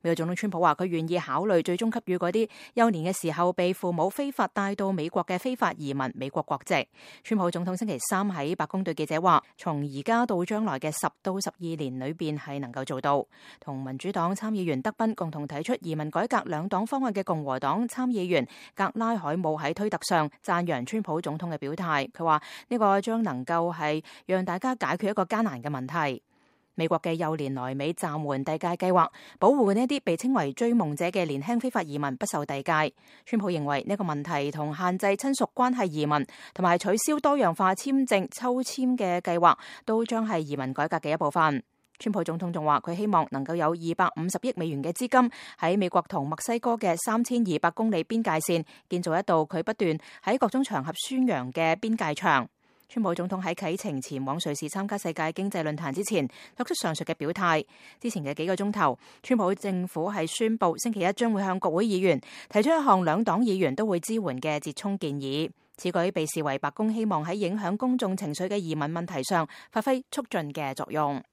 美國總統川普話佢願意考慮最終給予嗰啲幼年嘅時候被父母非法帶到美國嘅非法移民美國國籍。川普總統星期三喺白宮對記者話，從而家到將來嘅10到12年裏邊係能夠做到。同民主黨參議員德賓共同提出移民改革兩黨方案嘅共和黨參議員格拉海姆喺推特上讚揚川普總統嘅表態，佢話呢個將能夠係讓大家解決一個艱難嘅問題。美國嘅幼年來美暫緩遞解計劃，保護呢啲被稱為追夢者嘅年輕非法移民不受遞解。川普認為呢個問題同限制親屬關係移民同埋取消多樣化簽證抽籤嘅計劃都將係移民改革嘅一部分。川普總統仲話佢希望能夠有250億美元嘅資金喺美國同墨西哥嘅3200公里邊界線建造一道佢不斷喺各種場合宣揚嘅邊界牆。川普總統喺啟程前往瑞士參加世界經濟論壇之前作出上述嘅表態。之前嘅幾個鐘頭，川普政府係宣布星期一將會向國會議員提出一項兩黨議員都會支援嘅折衷建議。此舉被視為白宮希望喺影響公眾情緒嘅移民問題上發揮促進嘅作用。